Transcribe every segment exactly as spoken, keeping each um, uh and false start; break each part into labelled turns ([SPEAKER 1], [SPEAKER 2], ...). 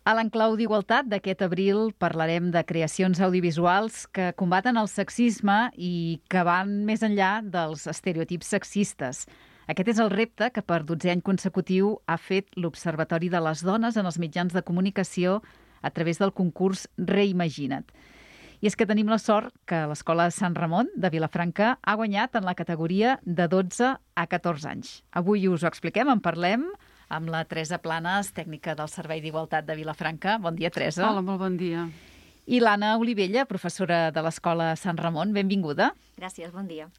[SPEAKER 1] A l'Enclau d'Igualtat d'aquest abril parlarem de creacions audiovisuals que combaten el sexisme i que van més enllà dels estereotips sexistes. Aquest és el repte que per dotzè any consecutiu ha fet l'Observatori de les Dones en els mitjans de comunicació a través del concurs Reimagina't. I és que tenim la sort que l'Escola Sant Ramon de Vilafranca ha guanyat en la categoria de dotze a catorze anys. Avui us ho expliquem, en parlem amb la Teresa Planes, tècnica del Servei d'Igualtat de Vilafranca. Bon dia, Teresa.
[SPEAKER 2] Hola, molt bon dia.
[SPEAKER 1] I l'Anna Olivella, professora de l'Escola Sant Ramon. Benvinguda.
[SPEAKER 3] Gràcies, bon dia.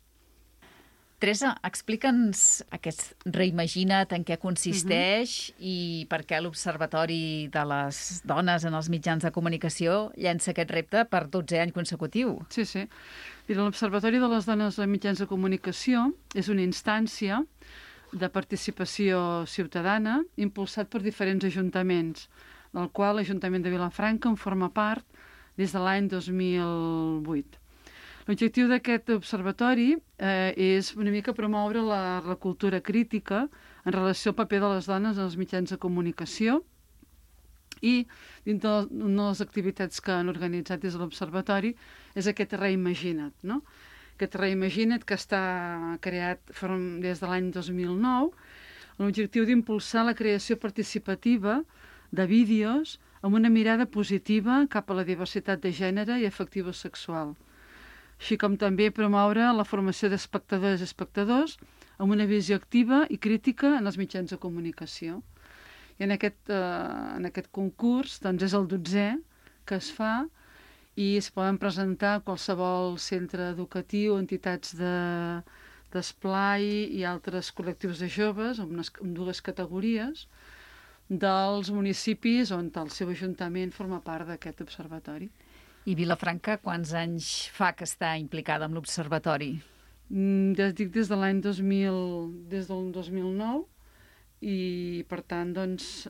[SPEAKER 1] Teresa, explica'ns aquest Reimagina't, en què consisteix uh-huh. i per què l'Observatori de les Dones en els mitjans de comunicació llença aquest repte per dotzè any consecutiu.
[SPEAKER 2] Sí, sí. Mira, l'Observatori de les Dones en mitjans de comunicació és una instància de participació ciutadana impulsat per diferents ajuntaments, del qual l'Ajuntament de Vilafranca en forma part des de l'any dos mil vuit. L'objectiu d'aquest observatori eh, és una mica promoure la, la cultura crítica en relació al paper de les dones en els mitjans de comunicació i dintre de una de les activitats que han organitzat des de l'observatori és aquest Reimagina't, no? Aquest Reimagina't que està creat des de l'any dos mil nou amb l'objectiu d'impulsar la creació participativa de vídeos amb una mirada positiva cap a la diversitat de gènere i afectivo-sexual, així com també promoure la formació d'espectadors i espectadors amb una visió activa i crítica en els mitjans de comunicació. I en aquest, eh, en aquest concurs doncs és el dotzè que es fa i es poden presentar qualsevol centre educatiu, entitats de, d'esplai i altres col·lectius de joves amb, unes, amb dues categories dels municipis on el seu ajuntament forma part d'aquest observatori.
[SPEAKER 1] I Vilafranca, quants anys fa que està implicada amb l'Observatori?
[SPEAKER 2] Mm, ja dic des de l'any dos mil, des del dos mil nou i per tant doncs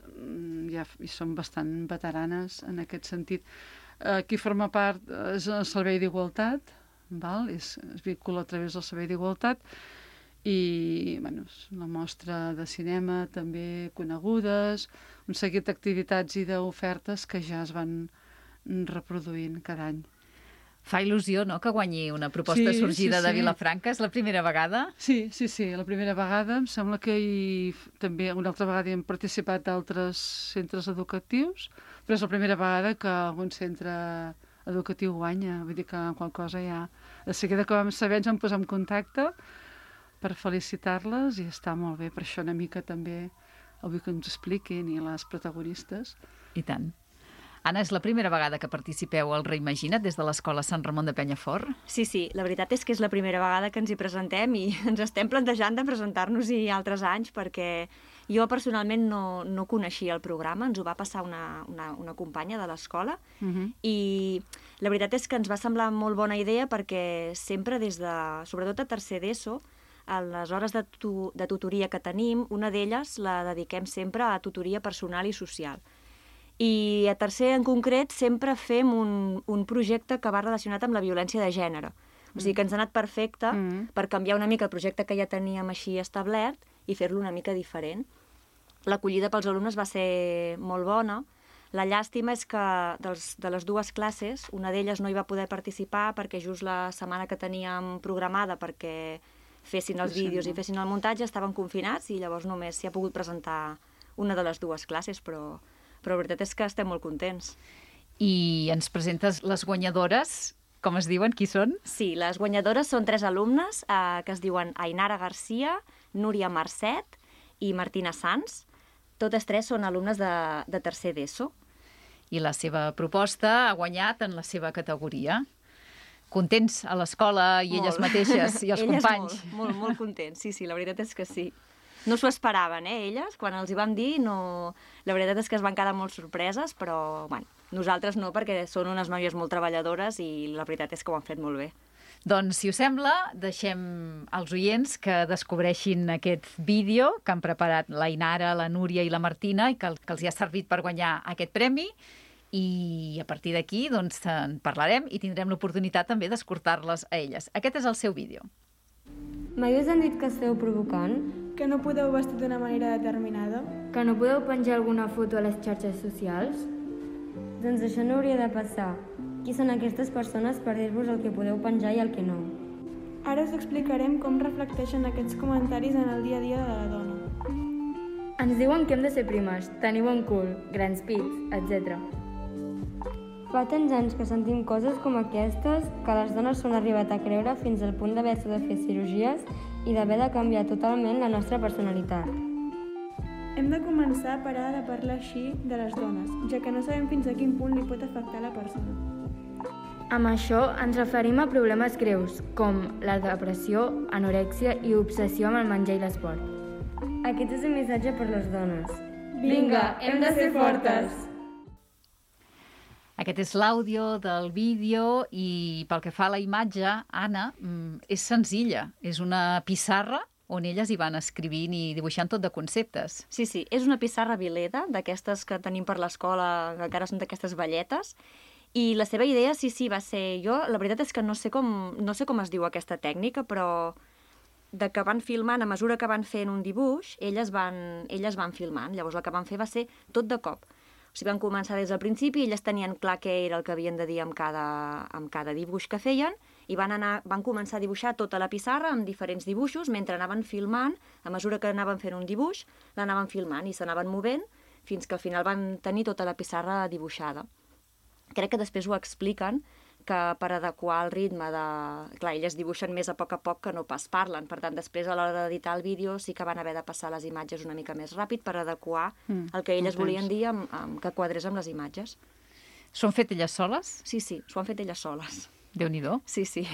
[SPEAKER 2] ja hi som bastant veteranes en aquest sentit. Qui forma part és el Servei d'Igualtat, val? És, es vincula a través del Servei d'Igualtat i bueno, la mostra de cinema també conegudes, un seguit d'activitats i d'ofertes que ja es van reproduint cada any.
[SPEAKER 1] Fa il·lusió, no?, que guanyi una proposta
[SPEAKER 2] sí,
[SPEAKER 1] sorgida
[SPEAKER 2] sí, sí.
[SPEAKER 1] de Vilafranca. És la primera vegada?
[SPEAKER 2] Sí, sí, sí, la primera vegada. Em sembla que hi, també una altra vegada hi han participat d'altres centres educatius, però és la primera vegada que algun centre educatiu guanya. Vull dir que qualsevol cosa ja... De seguida que vam saber ens vam posar en contacte per felicitar-les i està molt bé. Per això una mica també el vull que ens expliquin i les protagonistes.
[SPEAKER 1] I tant. Anna, és la primera vegada que participeu al Reimagina't des de l'Escola Sant Ramon de Penyafort?
[SPEAKER 3] Sí, sí, la veritat és que és la primera vegada que ens hi presentem i ens estem plantejant de presentar-nos-hi altres anys perquè jo personalment no, no coneixia el programa, ens ho va passar una, una, una companya de l'escola uh-huh. i la veritat és que ens va semblar molt bona idea perquè sempre des de, sobretot a tercer d'ESO, a les hores de, tu, de tutoria que tenim, una d'elles la dediquem sempre a tutoria personal i social. I a tercer, en concret, sempre fem un, un projecte que va relacionat amb la violència de gènere. O sigui que ens ha anat perfecte mm. per canviar una mica el projecte que ja teníem així establert i fer-lo una mica diferent. L'acollida pels alumnes va ser molt bona. La llàstima és que dels, de les dues classes, una d'elles no hi va poder participar perquè just la setmana que teníem programada perquè fessin els vídeos i fessin el muntatge estaven confinats i llavors només s'hi ha pogut presentar una de les dues classes, però... però la veritat és que estem molt contents.
[SPEAKER 1] I ens presentes les guanyadores, com es diuen, qui són?
[SPEAKER 3] Sí, les guanyadores són tres alumnes eh, que es diuen Ainara Garcia, Núria Marcet i Martina Sanz. Totes tres són alumnes de, de tercer d'ESO.
[SPEAKER 1] I la seva proposta ha guanyat en la seva categoria. Contents a l'escola i
[SPEAKER 3] molt.
[SPEAKER 1] Elles mateixes i els
[SPEAKER 3] elles
[SPEAKER 1] companys?
[SPEAKER 3] Molt, molt, molt contents, sí, sí, la veritat és que sí. No s'ho esperaven, eh, elles, quan els hi vam dir, no... la veritat és que es van quedar molt sorpreses, però bueno, nosaltres no, perquè són unes noies molt treballadores i la veritat és que ho han fet molt bé.
[SPEAKER 1] Doncs, si us sembla, deixem als oients que descobreixin aquest vídeo que han preparat la Ainara, la Núria i la Martina i que, que els hi ha servit per guanyar aquest premi i a partir d'aquí doncs, en parlarem i tindrem l'oportunitat també d'escoltar-les a elles. Aquest és el seu vídeo.
[SPEAKER 4] Mai us han dit que esteu provocant?
[SPEAKER 5] Que no podeu vestir d'una manera determinada?
[SPEAKER 4] Que no podeu penjar alguna foto a les xarxes socials? Doncs això no hauria de passar. Qui són aquestes persones per dir-vos el que podeu penjar i el que no?
[SPEAKER 5] Ara us explicarem com reflecteixen aquests comentaris en el dia a dia de la dona.
[SPEAKER 4] Ens diuen que hem de ser primes, tenir bon cul, grans pits, etcètera. Fa tants anys que sentim coses com aquestes que les dones s'ho han arribat a creure fins al punt d'haver-se de fer cirurgies i d'haver de canviar totalment la nostra personalitat.
[SPEAKER 5] Hem de començar a parar de parlar així de les dones, ja que no sabem fins a quin punt li pot afectar la persona.
[SPEAKER 4] Amb això ens referim a problemes greus, com la depressió, anorèxia i obsessió amb el menjar i l'esport. Aquest és el missatge per les dones.
[SPEAKER 5] Vinga, hem de ser fortes!
[SPEAKER 1] Aquest és l'àudio del vídeo i pel que fa a la imatge, Anna, és senzilla. És una pissarra on elles hi van escrivint i dibuixant tot de conceptes.
[SPEAKER 3] Sí, sí, és una pissarra vileda, d'aquestes que tenim per l'escola, que encara són d'aquestes velletes, i la seva idea, sí, sí, va ser... Jo, la veritat és que no sé com, no sé com es diu aquesta tècnica, però de que van filmant, a mesura que van fent un dibuix, elles van, elles van filmant. Llavors el que van fer va ser tot de cop. O sigui, van començar des del principi, elles tenien clar què era el que havien de dir amb cada, amb cada dibuix que feien, i van, anar, van començar a dibuixar tota la pissarra amb diferents dibuixos, mentre anaven filmant, a mesura que anaven fent un dibuix, l'anaven filmant i s'anaven movent, fins que al final van tenir tota la pissarra dibuixada. Crec que després ho expliquen, que per adequar el ritme de... Clar, elles dibuixen més a poc a poc que no pas parlen, per tant, després a l'hora d'editar el vídeo sí que van haver de passar les imatges una mica més ràpid per adequar mm, el que elles volien dir amb, amb, que quadrés amb les imatges.
[SPEAKER 1] S'ho han fet elles soles?
[SPEAKER 3] Sí, sí, s'ho han fet elles soles.
[SPEAKER 1] Déu-n'hi-do.
[SPEAKER 3] Sí, sí.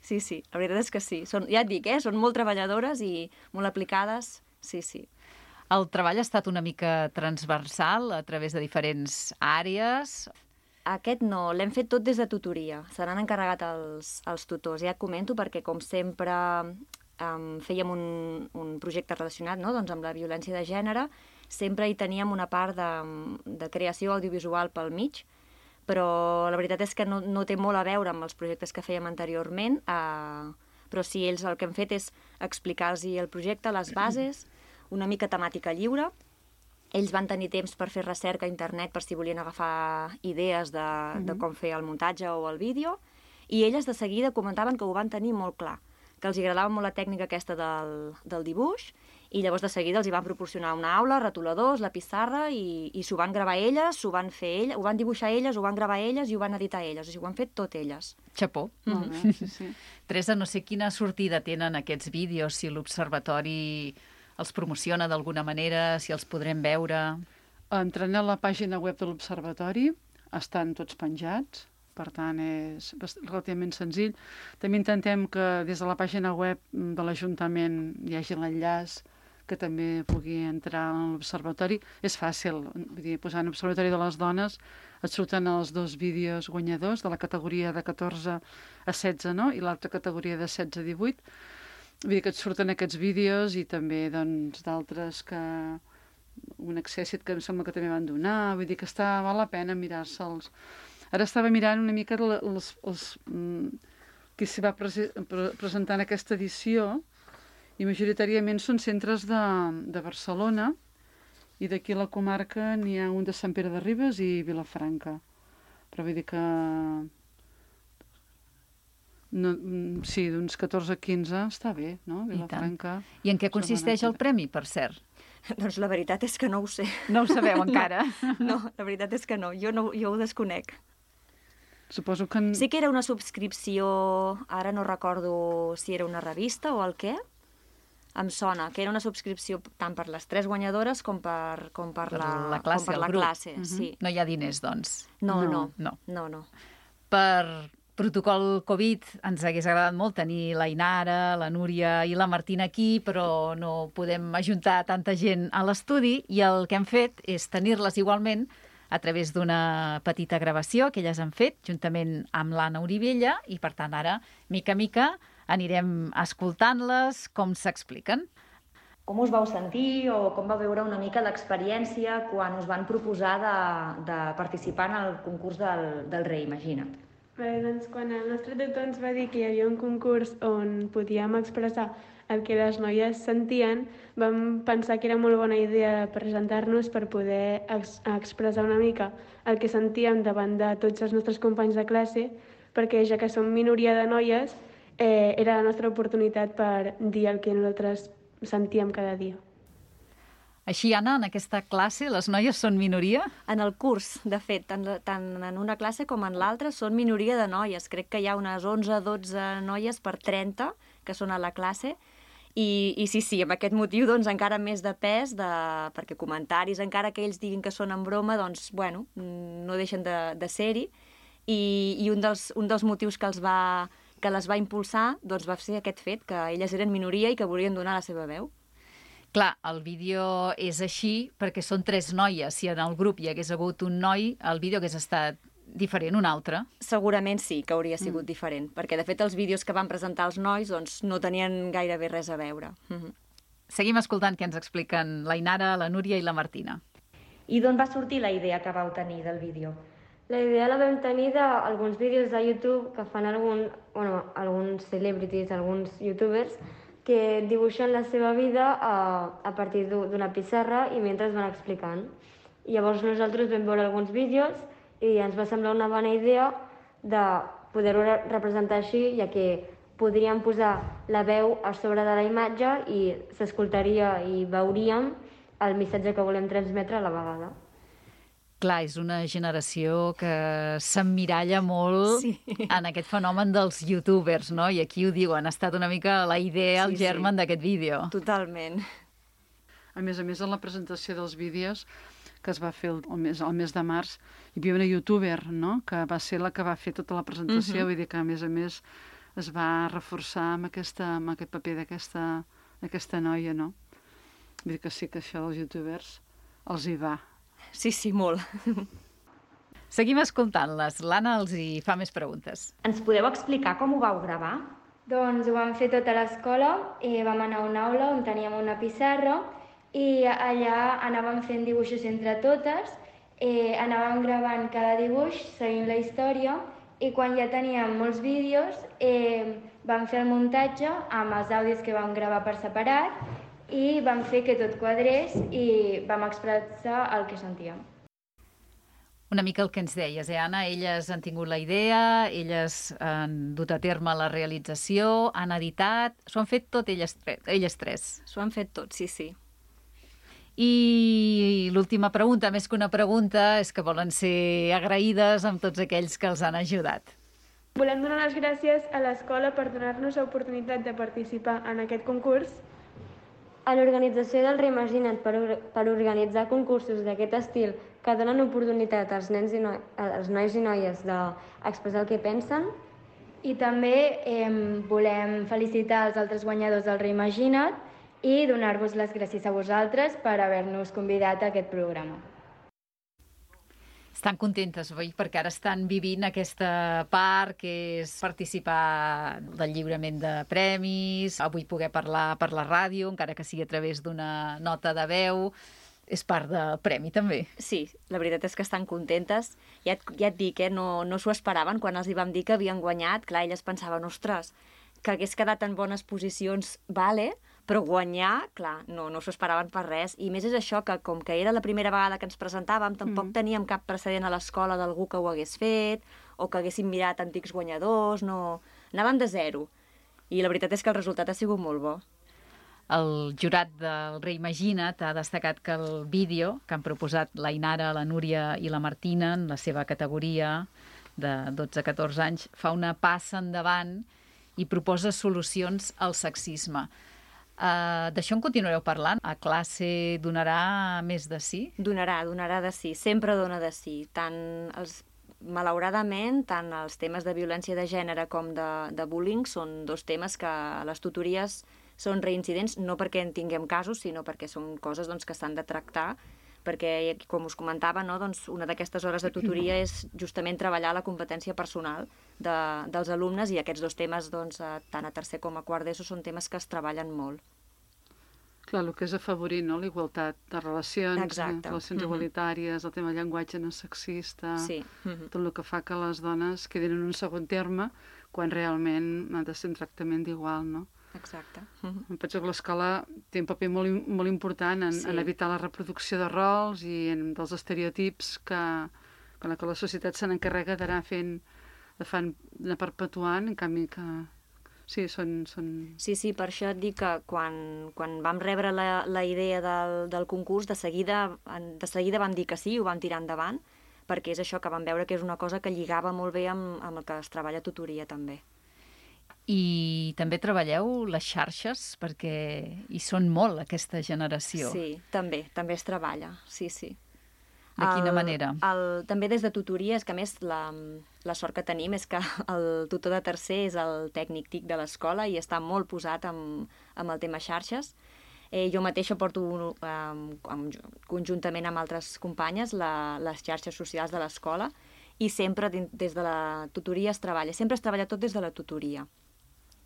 [SPEAKER 3] Sí, sí, la veritat és que sí. Són, ja et dic, eh? Són molt treballadores i molt aplicades. Sí, sí.
[SPEAKER 1] El treball ha estat una mica transversal a través de diferents àrees.
[SPEAKER 3] Aquest no, l'hem fet tot des de tutoria. Se n'han encarregat els, els tutors. Ja et comento perquè, com sempre, um, fèiem un, un projecte relacionat, no? Doncs amb la violència de gènere. Sempre hi teníem una part de, de creació audiovisual pel mig, però la veritat és que no, no té molt a veure amb els projectes que fèiem anteriorment, uh, però sí, ells el que han fet és explicar-los el projecte, les bases, una mica temàtica lliure. Ells van tenir temps per fer recerca a internet per si volien agafar idees de, mm-hmm. de com fer el muntatge o el vídeo, i elles de seguida comentaven que ho van tenir molt clar, que els agradava molt la tècnica aquesta del, del dibuix, i llavors de seguida els hi van proporcionar una aula, retoladors, la pissarra, i, i s'ho van gravar elles, s'ho van fer elles, ho van dibuixar elles, ho van gravar elles i ho van editar elles. O sigui, ho han fet tot elles.
[SPEAKER 1] Xapó.
[SPEAKER 2] Molt bé, sí, sí.
[SPEAKER 1] Teresa, no sé quina sortida tenen aquests vídeos, si l'Observatori els promociona d'alguna manera, si els podrem veure...
[SPEAKER 2] Entrant a la pàgina web de l'Observatori, estan tots penjats, per tant és relativament senzill. També intentem que des de la pàgina web de l'Ajuntament hi hagi l'enllaç que també pugui entrar a l'Observatori. És fàcil, vull dir, posant l'Observatori de les Dones et surten els dos vídeos guanyadors de la categoria de catorze a setze, no? I l'altra categoria de setze a divuit. Vull dir que et surten aquests vídeos i també doncs, d'altres que... un accèssit que em sembla que també van donar, vull dir que està, val la pena mirar-se'ls. Ara estava mirant una mica els, els, qui s'hi va prese, pre, presentar en aquesta edició, i majoritàriament són centres de, de Barcelona, i d'aquí a la comarca n'hi ha un de Sant Pere de Ribes i Vilafranca. Però vull dir que... No, sí, d'uns catorze a quinze està bé, no? Vilafranca.
[SPEAKER 1] I, I en què consisteix el premi, per cert?
[SPEAKER 3] Doncs la veritat és que no ho sé.
[SPEAKER 1] No ho sabeu encara?
[SPEAKER 3] No, no, la veritat és que no. Jo, no, jo ho desconec.
[SPEAKER 2] Suposo que...
[SPEAKER 3] Sí que era una subscripció, ara no recordo si era una revista o el què, em sona, que era una subscripció tant per les tres guanyadores com per, com per,
[SPEAKER 1] per
[SPEAKER 3] la,
[SPEAKER 1] la classe,
[SPEAKER 3] com per la
[SPEAKER 1] grup.
[SPEAKER 3] classe. Uh-huh. Sí.
[SPEAKER 1] No hi ha diners, doncs?
[SPEAKER 3] No, no.
[SPEAKER 1] no.
[SPEAKER 3] no, no.
[SPEAKER 1] Per protocol Covid ens hagués agradat molt tenir la Inara, la Núria i la Martina aquí, però no podem ajuntar tanta gent a l'estudi, i el que hem fet és tenir-les igualment a través d'una petita gravació que elles han fet, juntament amb l'Anna Oribella, i per tant ara, mica a mica, anirem escoltant-les com s'expliquen.
[SPEAKER 3] Com us vau sentir o com vau veure una mica l'experiència quan us van proposar de, de participar en el concurs del, del Reimagina't?
[SPEAKER 5] Bé, doncs quan el nostre tutor ens va dir que hi havia un concurs on podíem expressar el que les noies sentien, vam pensar que era molt bona idea presentar-nos per poder ex expressar una mica el que sentíem davant de tots els nostres companys de classe, perquè ja que som minoria de noies, eh, era la nostra oportunitat per dir el que nosaltres sentíem cada dia.
[SPEAKER 1] Així, Anna, en aquesta classe les noies són minoria?
[SPEAKER 3] En el curs, de fet, tant, tant en una classe com en l'altra, són minoria de noies. Crec que hi ha unes onze o dotze noies per trenta que són a la classe. I, i sí, sí, amb aquest motiu doncs, encara més de pes, de, perquè comentaris, encara que ells diguin que són en broma, doncs, bueno, no deixen de, de ser-hi. I, i un, dels, un dels motius que, els va, que les va impulsar doncs, va ser aquest fet, que elles eren minoria i que volien donar la seva veu.
[SPEAKER 1] Clar, el vídeo és així perquè són tres noies. Si en el grup hi hagués hagut un noi, el vídeo hagués estat diferent, un altre?
[SPEAKER 3] Segurament sí que hauria sigut
[SPEAKER 1] mm.
[SPEAKER 3] diferent, perquè de fet els vídeos que van presentar els nois doncs, no tenien gairebé res a veure. Mm-hmm.
[SPEAKER 1] Seguim escoltant què ens expliquen la Inara, la Núria i la Martina.
[SPEAKER 6] I d'on va sortir la idea que vau tenir del vídeo?
[SPEAKER 4] La idea la vam tenir d'alguns vídeos de YouTube que fan algun, bueno, alguns celebrities, alguns youtubers, que dibuixen la seva vida a, a partir d'una pissarra i mentre van explicant. I llavors nosaltres vam veure alguns vídeos i ens va semblar una bona idea de poder-ho representar així, ja que podríem posar la veu a sobre de la imatge i s'escoltaria i veuríem el missatge que volem transmetre a la vegada.
[SPEAKER 1] Clar, és una generació que s'emmiralla molt sí. en aquest fenomen dels youtubers, no? I aquí ho diuen, ha estat una mica la idea, el sí, germen sí. d'aquest vídeo.
[SPEAKER 3] Totalment.
[SPEAKER 2] A més a més, en la presentació dels vídeos que es va fer el, el, mes, el mes de març, hi havia una youtuber, no?, que va ser la que va fer tota la presentació, uh-huh. vull dir que, a més a més, es va reforçar amb, aquesta, amb aquest paper d'aquesta noia, no? Vull dir que sí que això dels youtubers els hi va.
[SPEAKER 3] Sí, sí, molt.
[SPEAKER 1] Seguim escoltant-les. L'Anna els hi fa més preguntes.
[SPEAKER 6] Ens podeu explicar com ho vau gravar?
[SPEAKER 4] Doncs ho vam fer tot a l'escola i vam anar a una aula on teníem una pissarra i allà anàvem fent dibuixos entre totes, eh, anàvem gravant cada dibuix seguint la història i quan ja teníem molts vídeos eh, vam fer el muntatge amb els àudios que vam gravar per separat i vam fer que tot quadrés i vam expressar el que sentíem.
[SPEAKER 1] Una mica el que ens deies, eh, Anna? Elles han tingut la idea, elles han dut a terme la realització, han editat... S'ho han fet tot elles, elles tres.
[SPEAKER 3] S'ho han fet tot, sí, sí.
[SPEAKER 1] I l'última pregunta, més que una pregunta, és que volen ser agraïdes amb tots aquells que els han ajudat.
[SPEAKER 5] Volem donar les gràcies a l'escola per donar-nos l'oportunitat de participar en aquest concurs,
[SPEAKER 4] a l'organització del Reimagina't per, per organitzar concursos d'aquest estil que donen oportunitat als, nens i no, als nois i noies d'expressar el que pensen. I també eh, volem felicitar els altres guanyadors del Reimagina't i donar-vos les gràcies a vosaltres per haver-nos convidat a aquest programa.
[SPEAKER 1] Estan contentes, oi? Perquè ara estan vivint aquesta part que és participar del lliurament de premis, avui poder parlar per la ràdio, encara que sigui a través d'una nota de veu, és part del premi també.
[SPEAKER 3] Sí, la veritat és que estan contentes. Ja et, ja et dic, eh? no, no s'ho esperaven quan els hi vam dir que havien guanyat. Clar, elles pensaven, ostres, que hagués quedat en bones posicions, vale, però guanyar, clar, no, no s'ho esperaven per res. I més és això, que com que era la primera vegada que ens presentàvem, tampoc mm. teníem cap precedent a l'escola d'algú que ho hagués fet, o que haguéssim mirat antics guanyadors, no... Anàvem de zero. I la veritat és que el resultat ha sigut molt bo.
[SPEAKER 1] El jurat del Reimagina't ha destacat que el vídeo que han proposat la Inara, la Núria i la Martina en la seva categoria de dotze a catorze anys fa una passa endavant i proposa solucions al sexisme. Uh, D'això en continuareu parlant? A classe donarà més de sí?
[SPEAKER 3] Donarà, donarà de sí. Sempre dona de sí. Tant els, malauradament, tant els temes de violència de gènere com de, de bullying són dos temes que a les tutories són reincidents, no perquè en tinguem casos, sinó perquè són coses doncs, que s'han de tractar, perquè, com us comentava, no, doncs una d'aquestes hores de tutoria és justament treballar la competència personal de, dels alumnes i aquests dos temes, doncs, tant a tercer com a quart d'ESO, són temes que es treballen molt.
[SPEAKER 2] Clar, el que és afavorir, no?, la igualtat de relacions,
[SPEAKER 3] Exacte.
[SPEAKER 2] relacions mm-hmm. igualitàries, el tema del llenguatge no sexista,
[SPEAKER 3] sí. mm-hmm.
[SPEAKER 2] tot el que fa que les dones quedin en un segon terme quan realment ha de ser un tractament d'igual, no?
[SPEAKER 3] exacte.
[SPEAKER 2] Em penso que l'escola té un paper molt, molt important en, sí. en evitar la reproducció de rols i en, dels estereotips que, que la societat se n'encarrega d'anar fent, de fan, de perpetuant, en canvi que... Sí, són, són...
[SPEAKER 3] Sí, sí, per això et dic que quan, quan vam rebre la, la idea del, del concurs, de seguida, de seguida vam dir que sí, ho vam tirar endavant, perquè és això, que vam veure que és una cosa que lligava molt bé amb, amb el que es treballa a tutoria, també.
[SPEAKER 1] I també treballeu les xarxes, perquè hi són molt, aquesta generació.
[SPEAKER 3] Sí, també, també es treballa, sí, sí.
[SPEAKER 1] De quina
[SPEAKER 3] el,
[SPEAKER 1] manera?
[SPEAKER 3] El, també des de tutoria, és que a més la, la sort que tenim és que el tutor de tercer és el tècnic TIC de l'escola i està molt posat amb, amb el tema xarxes. Eh, jo mateixa porto eh, amb, conjuntament amb altres companyes la, les xarxes socials de l'escola i sempre des de la tutoria es treballa, sempre es treballa tot des de la tutoria.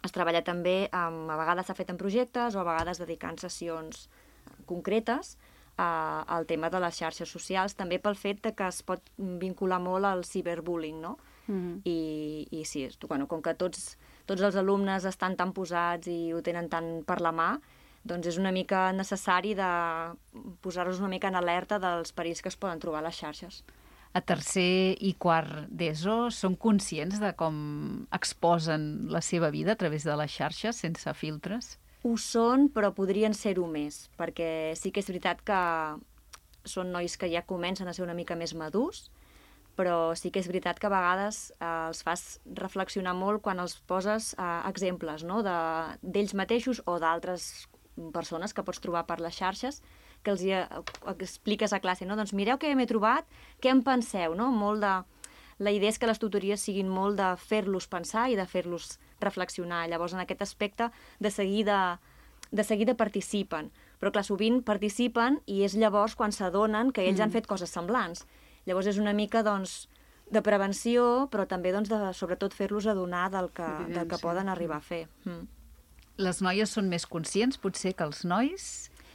[SPEAKER 3] Es treballa també, amb, a vegades s'ha fet en projectes o a vegades dedicant sessions concretes al tema de les xarxes socials, també pel fet que es pot vincular molt al ciberbullying, no? Mm-hmm. I, i sí, bueno, com que tots, tots els alumnes estan tan posats i ho tenen tant per la mà, doncs és una mica necessari de posar-los una mica en alerta dels perills que es poden trobar a les xarxes.
[SPEAKER 1] A tercer i quart d'ESO són conscients de com exposen la seva vida a través de les xarxes, sense filtres?
[SPEAKER 3] Ho són, però podrien ser-ho més, perquè sí que és veritat que són nois que ja comencen a ser una mica més madurs, però sí que és veritat que a vegades eh, els fas reflexionar molt quan els poses eh, exemples, no?, d'ells mateixos o d'altres persones que pots trobar per les xarxes, que els hi expliques a classe, no? Doncs mireu què m'he trobat, què en penseu, no? Molt de... La idea és que les tutories siguin molt de fer-los pensar i de fer-los reflexionar. Llavors, en aquest aspecte, de seguida, de seguida participen. Però, clar, sovint participen i és llavors quan s'adonen que ells mm. han fet coses semblants. Llavors, és una mica, doncs, de prevenció, però també, doncs, de, sobretot, fer-los adonar del que, del que poden arribar a fer. Mm.
[SPEAKER 1] Les noies són més conscients, potser, que els nois?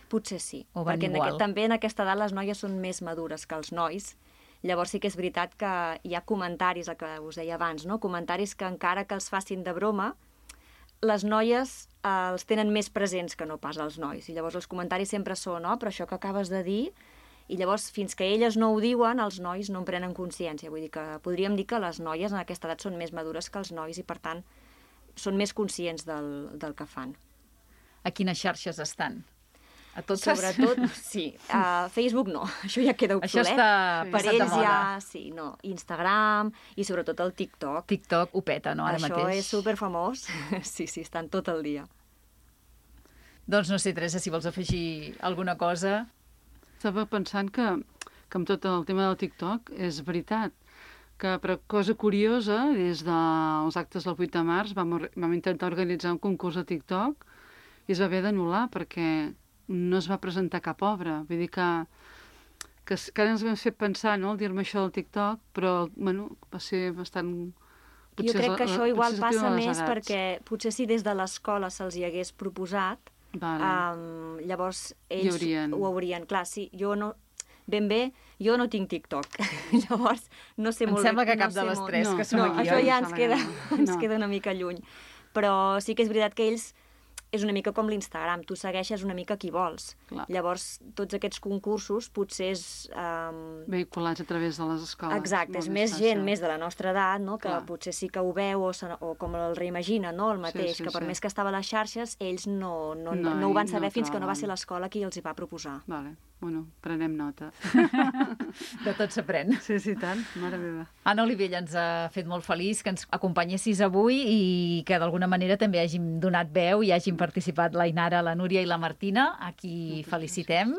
[SPEAKER 3] Potser sí.
[SPEAKER 1] O van
[SPEAKER 3] perquè
[SPEAKER 1] igual?
[SPEAKER 3] En aquest, també en aquesta edat les noies són més madures que els nois. Llavors sí que és veritat que hi ha comentaris, el que us deia abans, no? Comentaris que encara que els facin de broma, les noies eh, els tenen més presents que no pas els nois. I llavors els comentaris sempre són, no? Però això que acabes de dir, i llavors fins que elles no ho diuen, els nois no en prenen consciència. Vull dir que podríem dir que les noies en aquesta edat són més madures que els nois i per tant són més conscients del, del que fan.
[SPEAKER 1] A quines xarxes estan? A totes?
[SPEAKER 3] Sobretot, sí. A Facebook no, això ja queda obsolet.
[SPEAKER 1] Això està
[SPEAKER 3] per ells ja, sí, no. Instagram i sobretot el TikTok.
[SPEAKER 1] TikTok ho peta, no, ara
[SPEAKER 3] això
[SPEAKER 1] mateix?
[SPEAKER 3] Això és superfamós. Sí, sí, estan tot el dia.
[SPEAKER 1] Doncs no sé, Teresa, si vols afegir alguna cosa.
[SPEAKER 2] Estava pensant que, que amb tot el tema del TikTok és veritat que, per cosa curiosa, des dels actes del vuit de març vam, vam intentar organitzar un concurs a TikTok i es va haver d'anul·lar perquè no es va presentar cap obra. Vull dir que, que, que ara ens vam fer pensar, no?, al dir-me això del TikTok, però, bueno, va ser bastant...
[SPEAKER 3] Potser jo crec que això igual passa més perquè potser si des de l'escola se'ls hi hagués proposat, vale. um, llavors ells haurien... ho haurien. Clar, sí, jo no... Ben bé, jo no tinc TikTok. Llavors, no sé
[SPEAKER 1] em
[SPEAKER 3] molt bé...
[SPEAKER 1] Em sembla que
[SPEAKER 3] no
[SPEAKER 1] cap de les
[SPEAKER 3] molt...
[SPEAKER 1] tres
[SPEAKER 3] no,
[SPEAKER 1] que som
[SPEAKER 3] no,
[SPEAKER 1] aquí,
[SPEAKER 3] això
[SPEAKER 1] oi?
[SPEAKER 3] ja ens queda,
[SPEAKER 2] no.
[SPEAKER 3] ens queda una mica lluny. Però sí que és veritat que ells... És una mica com l'Instagram, tu segueixes una mica qui vols.
[SPEAKER 2] Clar.
[SPEAKER 3] Llavors, tots aquests concursos potser és... Um...
[SPEAKER 2] vehiculats a través de les escoles.
[SPEAKER 3] Exacte, és més gent, més de la nostra edat, no?, que
[SPEAKER 2] Clar.
[SPEAKER 3] Potser sí que ho veu o, o com el reimagina, no?, el mateix,
[SPEAKER 2] sí, sí,
[SPEAKER 3] que per
[SPEAKER 2] sí.
[SPEAKER 3] més que estava a les xarxes, ells no, no,
[SPEAKER 2] no,
[SPEAKER 3] no ho van saber
[SPEAKER 2] no
[SPEAKER 3] fins que no va
[SPEAKER 2] troben.
[SPEAKER 3] ser l'escola qui els hi va proposar.
[SPEAKER 2] Vale. Bueno, prenem nota.
[SPEAKER 1] De tot s'aprèn.
[SPEAKER 2] Sí, sí, tant. Mare meva.
[SPEAKER 1] Anna Olivella, ens ha fet molt feliç que ens acompanyessis avui i que d'alguna manera també hàgim donat veu i hàgim participat l'Ainara, la Núria i la Martina, a qui felicitem,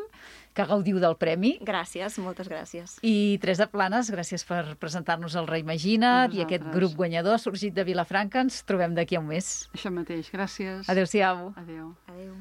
[SPEAKER 1] que gaudiu del premi.
[SPEAKER 3] Gràcies, moltes gràcies.
[SPEAKER 1] I Teresa Planes, gràcies per presentar-nos el Reimagina't i aquest grup guanyador sorgit de Vilafranca. Ens trobem d'aquí a un mes.
[SPEAKER 2] Això mateix, gràcies.
[SPEAKER 1] Adéu-siau.
[SPEAKER 2] Adéu.
[SPEAKER 3] Adéu.